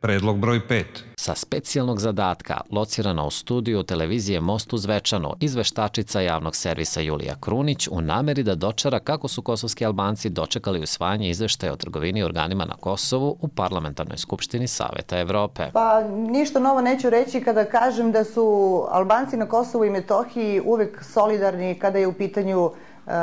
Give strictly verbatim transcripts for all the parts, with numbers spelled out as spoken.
Predlog broj pet. Sa specijalnog zadatka, locirana u studiju televizije Most u Zvečanu, izveštačica javnog servisa Julija Krunić u nameri da dočara kako su kosovski Albanci dočekali usvajanje izveštaja o trgovini organima na Kosovu u Parlamentarnoj skupštini Saveta Evrope. Pa ništa novo neću reći kada kažem da su Albanci na Kosovu i Metohiji uvek solidarni kada je u pitanju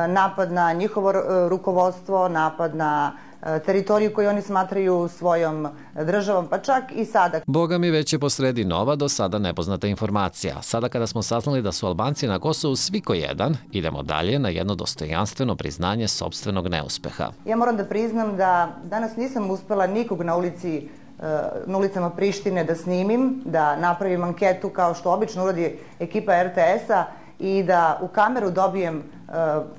napad na njihovo rukovodstvo, napad na teritoriju koju oni smatraju svojom državom, pa čak i sada. Boga mi već je posredi nova, do sada nepoznata informacija. Sada kada smo saznali da su Albanci na Kosovu svi ko jedan, idemo dalje na jedno dostojanstveno priznanje sopstvenog neuspeha. Ja moram da priznam da danas nisam uspela nikog na ulici na ulicama Prištine da snimim, da napravim anketu kao što obično uradi ekipa er te es-a i da u kameru dobijem uh,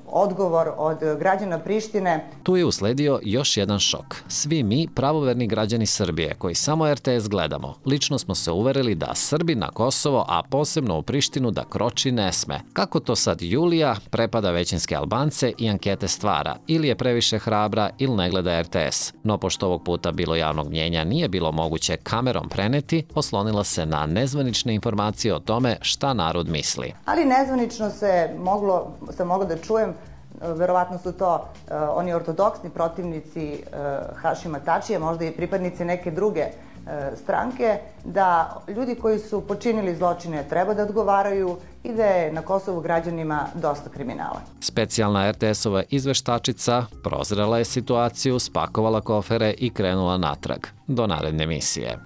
odgovor od građana Prištine. Tu je usledio još jedan šok. Svi mi, pravoverni građani Srbije, koji samo er te es gledamo, lično smo se uverili da Srbi na Kosovo, a posebno u Prištinu, da kroči ne sme. Kako to sad Julija prepada većinske Albance i ankete stvara? Ili je previše hrabra ili ne gleda er te es? No, pošto ovog puta bilo javnog mnjenja nije bilo moguće kamerom preneti, oslonila se na nezvanične informacije o tome šta narod misli. Ali nezvanično se moglo, se moglo da čujem, verovatno su to uh, oni ortodoksni protivnici uh, Hašima Tačija, možda i pripadnici neke druge uh, stranke, da ljudi koji su počinili zločine treba da odgovaraju i da je na Kosovu građanima dosta kriminala. Specijalna er te es-ova izveštačica prozrela je situaciju, spakovala kofere i krenula natrag do naredne emisije.